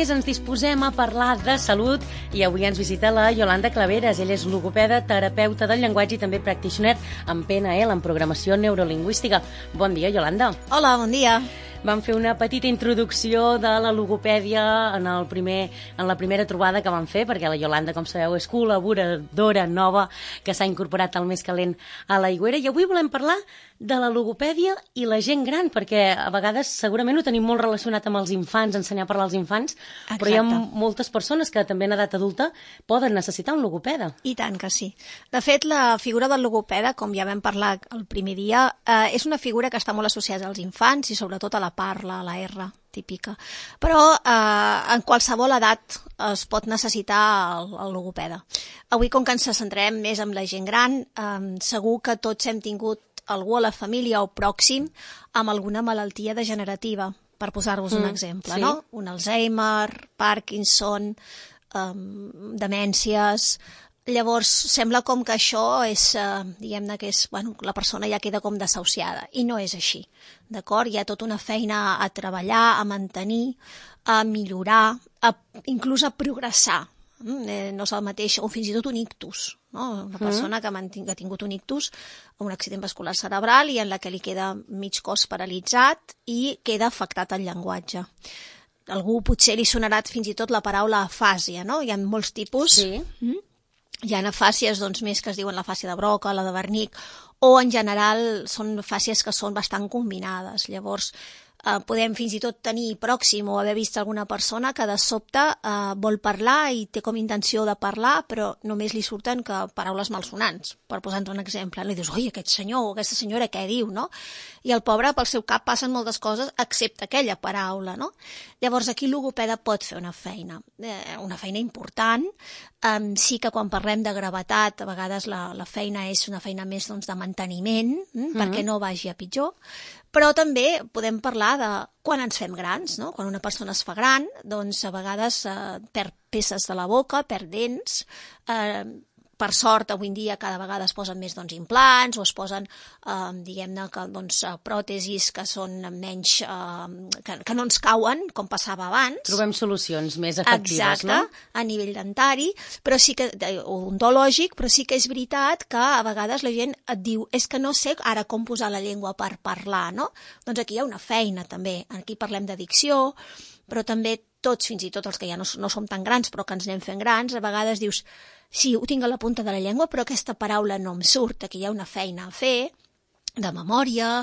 més ens disposem a parlar de salut i avui ens visita la Yolanda Claveres. Ella és logopeda, terapeuta del llenguatge i també practitioner en PNL, en programació neurolingüística. Bon dia, Yolanda. Hola, bon dia. Vam fer una petita introducció de la logopèdia en la primera trobada que vam fer, perquè la Yolanda, com sabeu, és col·laboradora nova que s'ha incorporat al Més Calent a l'Aigüera. I avui volem parlar de la logopèdia i la gent gran, perquè a vegades segurament ho tenim molt relacionat amb els infants, ensenyar a parlar als infants, Exacte. però hi ha moltes persones que també en edat adulta poden necessitar un logopeda. I tant que sí. De fet, la figura del logopeda, com ja vam parlar el primer dia, és una figura que està molt associada als infants i sobretot a la parla, a la R típica. Però en qualsevol edat es pot necessitar el logopeda. Avui, com que ens centrem més en la gent gran, segur que tots hem tingut algú a la família o pròxim amb alguna malaltia degenerativa, per posar-vos un exemple, sí. no? Un Alzheimer, Parkinson, demències. Llavors, sembla com que això és, diguem-ne que és, bueno, la persona ja queda com desahuciada, i no és així, d'acord? Hi ha tota una feina a treballar, a mantenir, a millorar, inclús a progressar. No és el mateix, o fins i tot un ictus, no? Una persona que ha tingut un ictus, un accident vascular cerebral i en la que li queda mig cos paralitzat i queda afectat el llenguatge. Algú potser li sonarà fins i tot la paraula afàsia, no? Hi ha molts tipus. Sí. Hi ha afàsies doncs, més que es diuen la fàsia de Broca, la de Wernicke, o en general són fàsies que són bastant combinades. Llavors, podem fins i tot tenir pròxim o haver vist alguna persona que de sobte vol parlar i té com intenció de parlar, però només li surten que paraules malsonants, per posar-nos un exemple. I dius, oi, aquest senyor o aquesta senyora què diu, no? I el pobre, pel seu cap passen moltes coses, excepte aquella paraula, no? Llavors, aquí el logopeda pot fer una feina important. Sí que quan parlem de gravetat, a vegades la feina és una feina més doncs, de manteniment, perquè no vagi a pitjor, però també podem parlar de quan ens fem grans, no? Quan una persona es fa gran, doncs a vegades perd peces de la boca, perd dents, per sort, avui en dia cada vegada es posen més doncs, implants o es posen, diguem-ne, doncs, pròtesis que són menys, que no ens cauen, com passava abans. Trobem solucions més efectives, Exacte, no? A nivell dentari, però sí que, odontològic, però sí que és veritat que a vegades la gent et diu és que no sé ara com posar la llengua per parlar, no? Doncs aquí hi ha una feina també, aquí parlem d'addicció, però també tots, fins i tot els que ja no som tan grans però que ens anem fent grans, a vegades dius sí, ho tinc a la punta de la llengua, però aquesta paraula no em surt. Aquí hi ha una feina a fer, de memòria,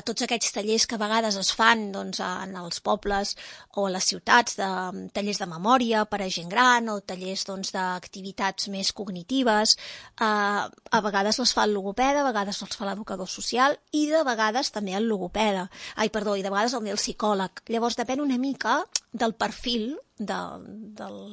tots aquests tallers que a vegades es fan doncs, en els pobles o a les ciutats, tallers de memòria per a gent gran o tallers doncs, d'activitats més cognitives. A vegades les fa el logopeda, a vegades els fa l'educador social i de vegades també el logopeda. I de vegades el psicòleg. Llavors depèn una mica del perfil de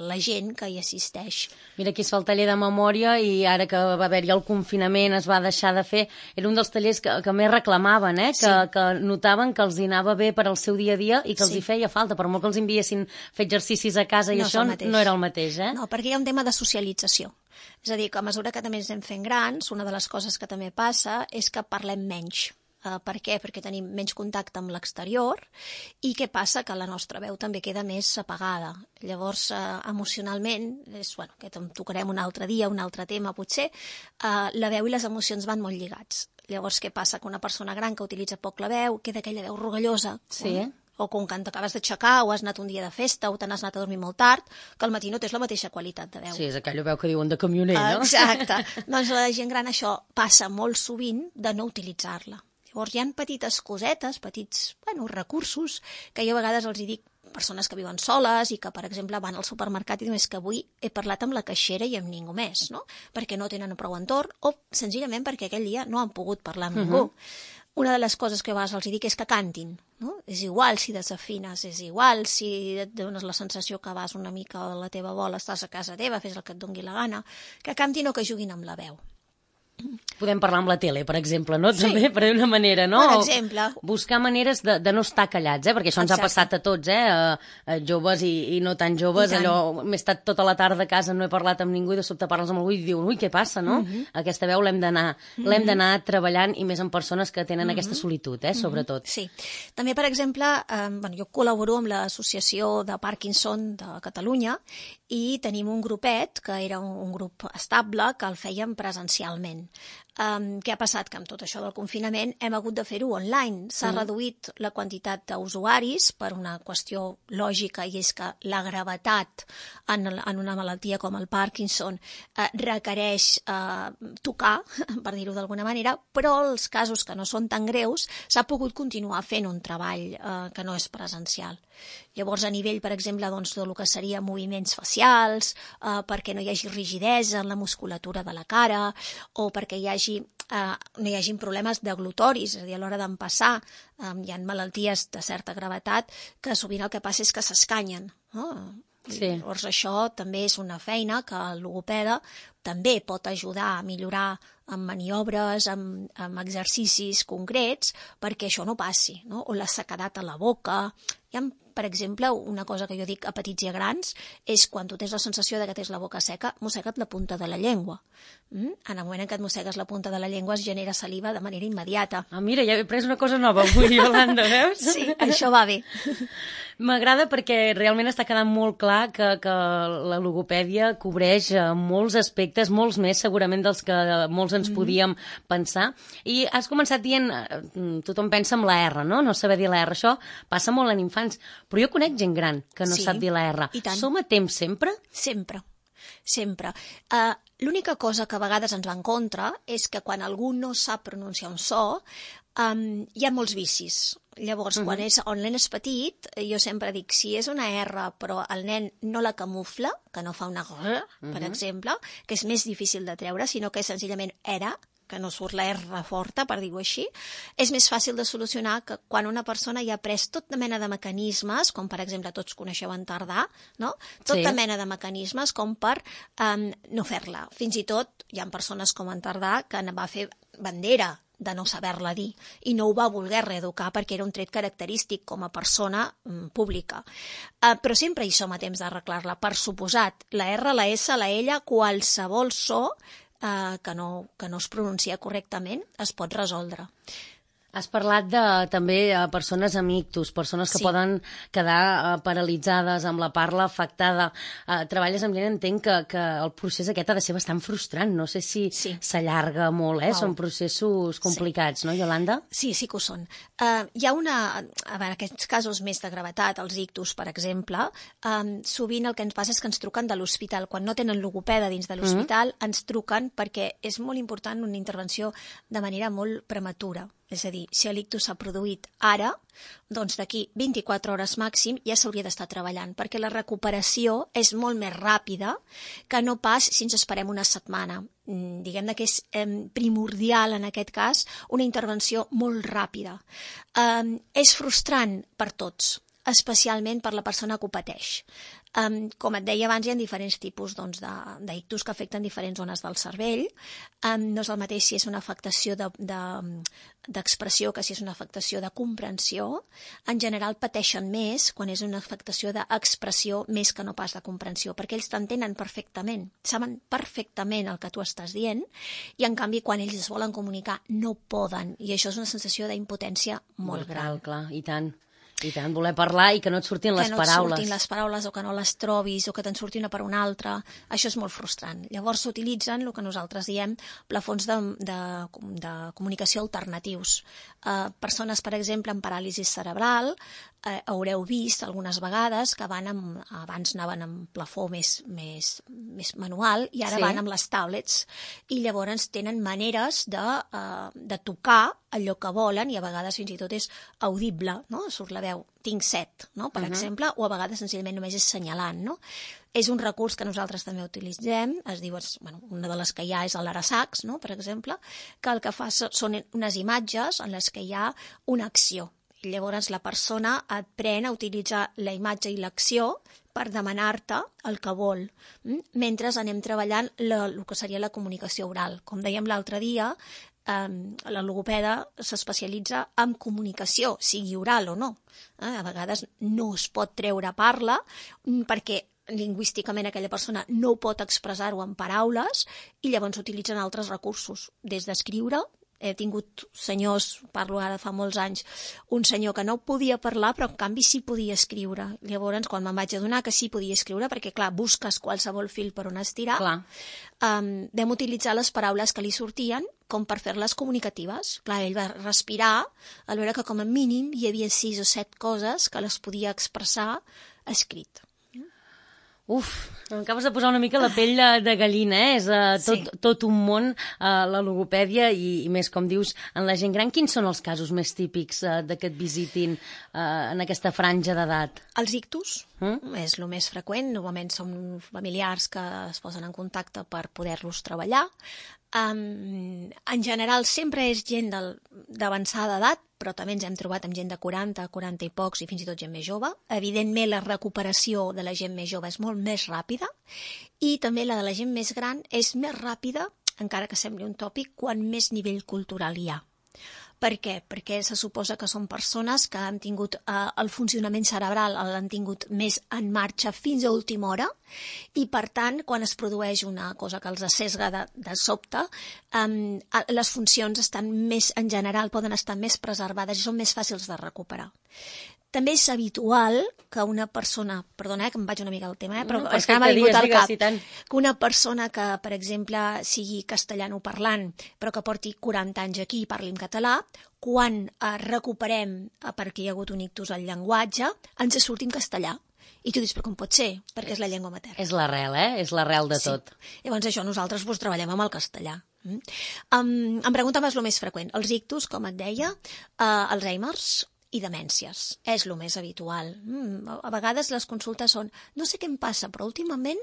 la gent que hi assisteix. Mira, aquí es fa el taller de memòria i ara que va haver-hi el confinament es va deixar de fer. Era un dels tallers que més reclamaven, Sí. que notaven que els hi anava bé per al seu dia a dia i que els Sí. hi feia falta. Per molt que els enviessin fer exercicis a casa i No és això el mateix. no era el mateix, eh? No, perquè hi ha un tema de socialització. És a dir, que a mesura que també ens anem fent grans, una de les coses que també passa és que parlem menys. Per què? Perquè tenim menys contacte amb l'exterior i què passa? Que la nostra veu també queda més apagada. Llavors, emocionalment, que en tocarem un altre dia, un altre tema potser, la veu i les emocions van molt lligats. Llavors, què passa? Que una persona gran que utilitza poc la veu, queda aquella veu rogallosa. Sí. O com quan t'acabes d'aixecar o has anat un dia de festa o te n'has anat a dormir molt tard, que al matí no tens la mateixa qualitat de veu. Sí, és aquella veu que diuen de camioner, no? Exacte. Doncs a la gent gran això passa molt sovint de no utilitzar-la. Llavors hi ha petites cosetes, petits recursos, que jo a vegades els dic persones que viuen soles i que, per exemple, van al supermercat i diuen que avui he parlat amb la caixera i amb ningú més, no? Perquè no tenen prou entorn o senzillament perquè aquell dia no han pogut parlar amb ningú. Una de les coses que a vegades els dic és que cantin, no? És igual si desafines, és igual si et dones la sensació que vas una mica a la teva bola, estàs a casa teva, fes el que et doni la gana, que cantin o que juguin amb la veu. Podem parlar amb la tele, per exemple, no? Sí. També, per una manera, no? Per exemple. Buscar maneres de no estar callats, perquè això ens ha passat a tots, a joves i no tan joves, allò, m'he estat tota la tarda a casa, no he parlat amb ningú i de sobte parles amb algú i diuen, ui, què passa, no? Aquesta veu l'hem d'anar treballant i més en persones que tenen aquesta solitud, sobretot. Sí. També, per exemple, jo col·laboro amb l'Associació de Parkinson de Catalunya i tenim un grupet, que era un grup estable, que el fèiem presencialment. Què ha passat? Que amb tot això del confinament hem hagut de fer-ho online. S'ha reduït la quantitat d'usuaris per una qüestió lògica, i és que la gravetat en una malaltia com el Parkinson requereix tocar, per dir-ho d'alguna manera, però els casos que no són tan greus s'ha pogut continuar fent un treball que no és presencial. Llavors, a nivell, per exemple, doncs, del que seria moviments facials, perquè no hi hagi rigidesa en la musculatura de la cara, o perquè no hi hagi problemes deglutoris, és a dir, a l'hora d'empassar. Hi ha malalties de certa gravetat que sovint el que passa és que s'escanyen. Sí. Llavors, això també és una feina que el logopeda també pot ajudar a millorar amb maniobres, amb exercicis concrets, perquè això no passi, no? O la sequedat a la boca. Hi ha, per exemple, una cosa que jo dic a petits i a grans, és quan tu tens la sensació de que tens la boca seca, mossega't la punta de la llengua. En el moment en què et mossegues la punta de la llengua es genera saliva de manera immediata. Mira, ja he pres una cosa nova avui, Iolanda, veus? Sí, això va bé. M'agrada perquè realment està quedant molt clar que la logopèdia cobreix molts aspectes, molts més segurament dels que molts ens podíem pensar. I has començat dient, tothom pensa en la R, no? No saber dir la R. Això passa molt en infants. Però jo conec gent gran que no sap dir la R. Som a temps sempre? Sempre. L'única cosa que a vegades ens va en contra és que quan algú no sap pronunciar un so, hi ha molts vicis. Llavors, quan el nen és petit, jo sempre dic, si és una R, però el nen no la camufla, que no fa una R, per exemple, que és més difícil de treure, sinó que és senzillament era, que no surt la R forta, per dir-ho així, és més fàcil de solucionar que quan una persona ja ha pres tota mena de mecanismes, com per exemple tots coneixeu en Tardà, no? Tota mena de mecanismes com per no fer-la. Fins i tot hi ha persones com en Tardà que va fer bandera de no saber-la dir, i no ho va voler reeducar perquè era un tret característic com a persona pública. Però sempre hi som a temps d'arreglar-la, per suposat. La R, la S, la L, qualsevol so que no es pronuncia correctament es pot resoldre. Has parlat també de persones amb ictus, persones que poden quedar paralitzades amb la parla afectada. Treballes amb gent, entenc que el procés aquest ha de ser bastant frustrant. No sé si s'allarga molt, Són processos complicats, no, Iolanda? Sí que ho són. Hi ha en aquests casos més de gravetat, els ictus, per exemple, sovint el que ens passa és que ens truquen de l'hospital. Quan no tenen logopeda dins de l'hospital, ens truquen perquè és molt important una intervenció de manera molt prematura. És a dir, si l'ictus s'ha produït ara, doncs d'aquí 24 hores màxim ja s'hauria d'estar treballant, perquè la recuperació és molt més ràpida que no pas si ens esperem una setmana. Diguem que és primordial en aquest cas una intervenció molt ràpida. És frustrant per tots, especialment per la persona que ho pateix. Com et deia abans, hi ha diferents tipus d'ictus que afecten diferents zones del cervell. No és el mateix si és una afectació d'expressió que si és una afectació de comprensió. En general pateixen més quan és una afectació d'expressió més que no pas de comprensió, perquè ells t'entenen perfectament, saben perfectament el que tu estàs dient, i en canvi quan ells es volen comunicar no poden, i això és una sensació d'impotència molt gran. Clar, i tant. I tant, voler parlar i que no et surtin les paraules. Que no et surtin les paraules o que no les trobis o que te'n surti una per una altra. Això és molt frustrant. Llavors s'utilitzen el que nosaltres diem plafons de comunicació alternatius. Persones, per exemple, amb paràlisi cerebral, haureu vist algunes vegades que abans anaven amb plafó més manual i ara van amb les tablets, i llavors tenen maneres de tocar allò que volen, i a vegades fins i tot és audible, no? Surt la veu, tinc set, no? Per exemple, o a vegades senzillament només és senyalant, no? És un recurs que nosaltres també utilitzem, es diu, una de les que hi ha és l'Arasax, no? Per exemple, que el que fa són unes imatges en les que hi ha una acció. I llavors la persona aprèn a utilitzar la imatge i l'acció per demanar-te el que vol, mentre anem treballant el que seria la comunicació oral. Com dèiem l'altre dia, la logopeda s'especialitza en comunicació, sigui oral o no. A vegades no es pot treure parla perquè lingüísticament aquella persona no pot expressar-ho en paraules i llavors s'utilitzen altres recursos, des d'escriure. He tingut senyors, parlo ara fa molts anys, un senyor que no podia parlar però en canvi sí podia escriure. Llavors, quan me'n vaig adonar que sí podia escriure, perquè clar, busques qualsevol fil per on estirar, vam utilitzar les paraules que li sortien com per fer-les comunicatives. Clar, ell va respirar al veure que com a mínim hi havia 6 o 7 coses que les podia expressar escrit. Uf, m'acabes de posar una mica la pell de gallina, És tot un món, la logopèdia, i més, com dius, en la gent gran. Quins són els casos més típics que et visitin en aquesta franja d'edat? Els ictus és el més freqüent. Normalment són familiars que es posen en contacte per poder-los treballar. En general sempre és gent d'avançada edat, però també ens hem trobat amb gent de 40, 40 i pocs i fins i tot gent més jove. Evidentment la recuperació de la gent més jove és molt més ràpida i també la de la gent més gran és més ràpida, encara que sembli un tòpic, quan més nivell cultural hi ha. Per què? Perquè se suposa que són persones que han tingut el funcionament cerebral, l'han tingut més en marxa fins a última hora i, per tant, quan es produeix una cosa que els assesga de sobte, les funcions estan més, en general, poden estar més preservades i són més fàcils de recuperar. També és habitual que una persona, perdona que em vaig una mica al tema, però és que m'ha vingut al cap, que una persona que, per exemple, sigui castellanoparlant, però que porti 40 anys aquí i parli en català, quan recuperem, perquè hi ha hagut un ictus al llenguatge, ens surt en castellà. I tu dius, però com pot ser? Perquè és la llengua materna. És l'arrel, És l'arrel de tot. Llavors això nosaltres treballem amb el castellà. Em pregunta més el més freqüent. Els ictus, com et deia, Alzheimer's i demències. És el més habitual. A vegades les consultes són, no sé què em passa, però últimament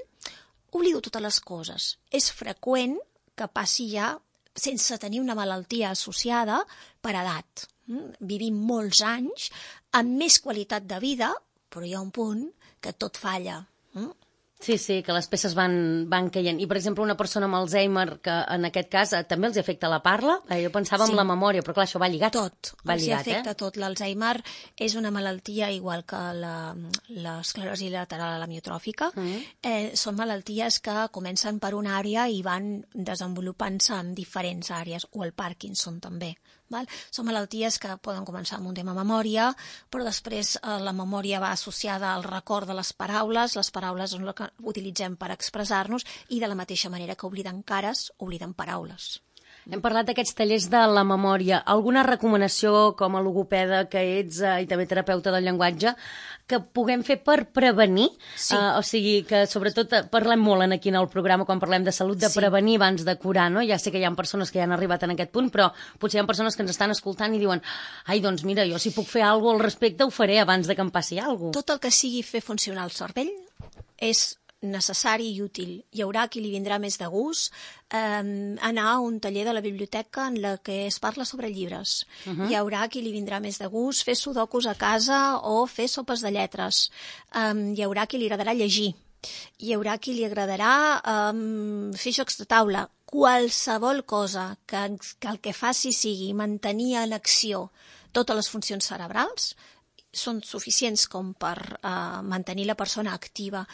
oblido totes les coses. És freqüent que passi ja sense tenir una malaltia associada per edat. Vivim molts anys amb més qualitat de vida, però hi ha un punt que tot falla. Sí, que les peces van caient. I, per exemple, una persona amb Alzheimer, que en aquest cas també els afecta la parla, jo pensava en la memòria, però clar, això va lligat. Tot, els afecta tot. L'Alzheimer és una malaltia igual que l'esclerosi lateral amiotròfica. Són malalties que comencen per una àrea i van desenvolupant-se en diferents àrees, o el Parkinson també. Són malalties que poden començar amb un tema memòria, però després la memòria va associada al record de les paraules són el que utilitzem per expressar-nos i de la mateixa manera que obliden cares, obliden paraules. Hem parlat d'aquests tallers de la memòria. Alguna recomanació com a logopeda que ets i també terapeuta del llenguatge que puguem fer per prevenir? Sí. O sigui, que sobretot parlem molt aquí en el programa quan parlem de salut, de prevenir abans de curar, no? Ja sé que hi ha persones que ja han arribat en aquest punt, però potser hi ha persones que ens estan escoltant i diuen ai, doncs mira, jo si puc fer alguna cosa al respecte ho faré abans de que em passi alguna cosa. Tot el que sigui fer funcionar el cervell és necessari i útil. Hi haurà qui li vindrà més de gust anar a un taller de la biblioteca en la que es parla sobre llibres. Hi haurà qui li vindrà més de gust fer sudokus a casa o fer sopes de lletres. Hi haurà qui li agradarà llegir. Hi haurà qui li agradarà fer jocs de taula. Qualsevol cosa que el que faci sigui mantenir en acció totes les funcions cerebrals són suficients com per mantenir la persona activa.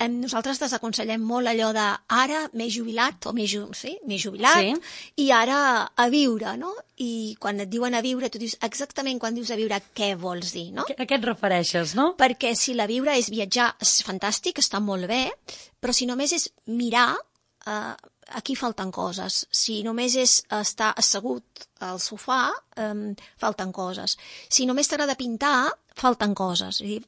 Nosaltres desaconsellem molt allò de ara m'he jubilat, o m'he jubilat, i ara a viure, no? I quan et diuen a viure, tu dius exactament quan dius a viure què vols dir, no? A què et refereixes, no? Perquè si la viure és viatjar, és fantàstic, està molt bé, però si només és mirar, aquí falten coses. Si només és estar assegut al sofà, falten coses. Si només t'agrada pintar, falten coses. És a dir,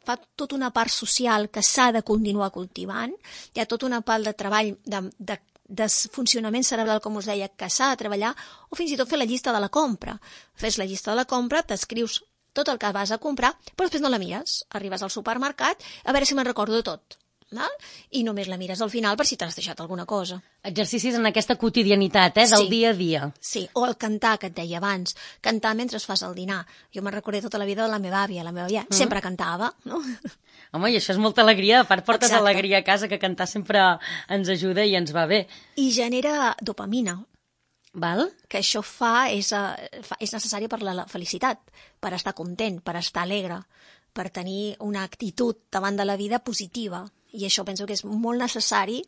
fa tota una part social que s'ha de continuar cultivant, hi ha tota una part de treball de funcionament cerebral, com us deia, que s'ha de treballar, o fins i tot fer la llista de la compra. Fes la llista de la compra, t'escrius tot el que vas a comprar, però després no la mires. Arribes al supermercat, a veure si me'n recordo de tot. val? I només la mires al final per si t'has deixat alguna cosa. Exercicis en aquesta quotidianitat, del dia a dia. Sí, o el cantar, que et deia abans. Cantar mentre fas el dinar. Jo me'n recordo tota la vida de la meva àvia. La meva àvia sempre cantava, no? Home, i això és molta alegria. A part, portes Exacte. alegria a casa, que cantar sempre ens ajuda i ens va bé. I genera dopamina, Val? que això és necessari per la felicitat, per estar content, per estar alegre, per tenir una actitud davant de la vida positiva. I això penso que és molt necessari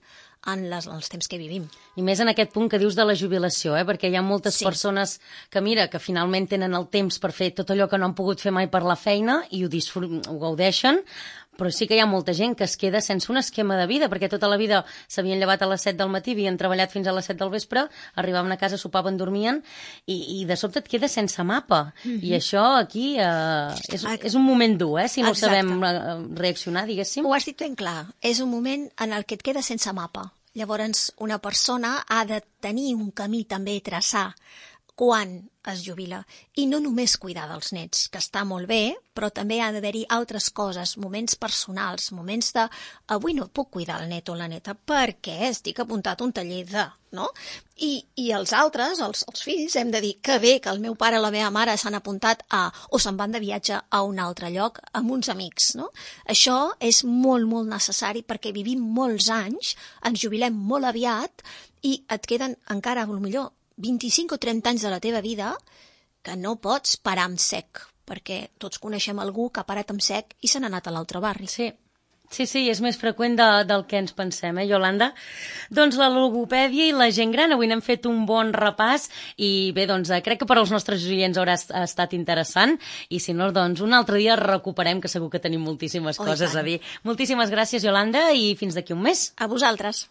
en els temps que vivim. I més en aquest punt que dius de la jubilació, perquè hi ha moltes persones que, mira, que finalment tenen el temps per fer tot allò que no han pogut fer mai per la feina i ho gaudeixen, però sí que hi ha molta gent que es queda sense un esquema de vida, perquè tota la vida s'havien llevat a les 7 del matí, havien treballat fins a les 7 del vespre, arribaven a casa, sopaven, dormien, i de sobte et quedes sense mapa. I això aquí és un moment dur, si no sabem reaccionar, diguéssim. Ho has dit ben clar. És un moment en el que et quedes sense mapa. Llavors, una persona ha de tenir un camí també a traçar quan es jubila. I no només cuidar dels nets, que està molt bé, però també ha d'haver-hi altres coses, moments personals, moments de avui no puc cuidar el net o la neta perquè estic apuntat a un taller de, no? I els altres, els fills, hem de dir que bé que el meu pare o la meva mare s'han apuntat o se'n van de viatge a un altre lloc amb uns amics, no? Això és molt, molt necessari perquè vivim molts anys, ens jubilem molt aviat i et queden encara, potser 25 o 30 anys de la teva vida que no pots parar amb sec, perquè tots coneixem algú que ha parat amb sec i se n'ha anat a l'altre barri. Sí, és més freqüent del que ens pensem, Iolanda? Doncs la logopèdia i la gent gran, avui n'hem fet un bon repàs i bé, doncs crec que per als nostres oients haurà estat interessant i si no, doncs un altre dia recuperem, que segur que tenim moltíssimes coses a dir. Moltíssimes gràcies, Iolanda, i fins d'aquí un mes. A vosaltres.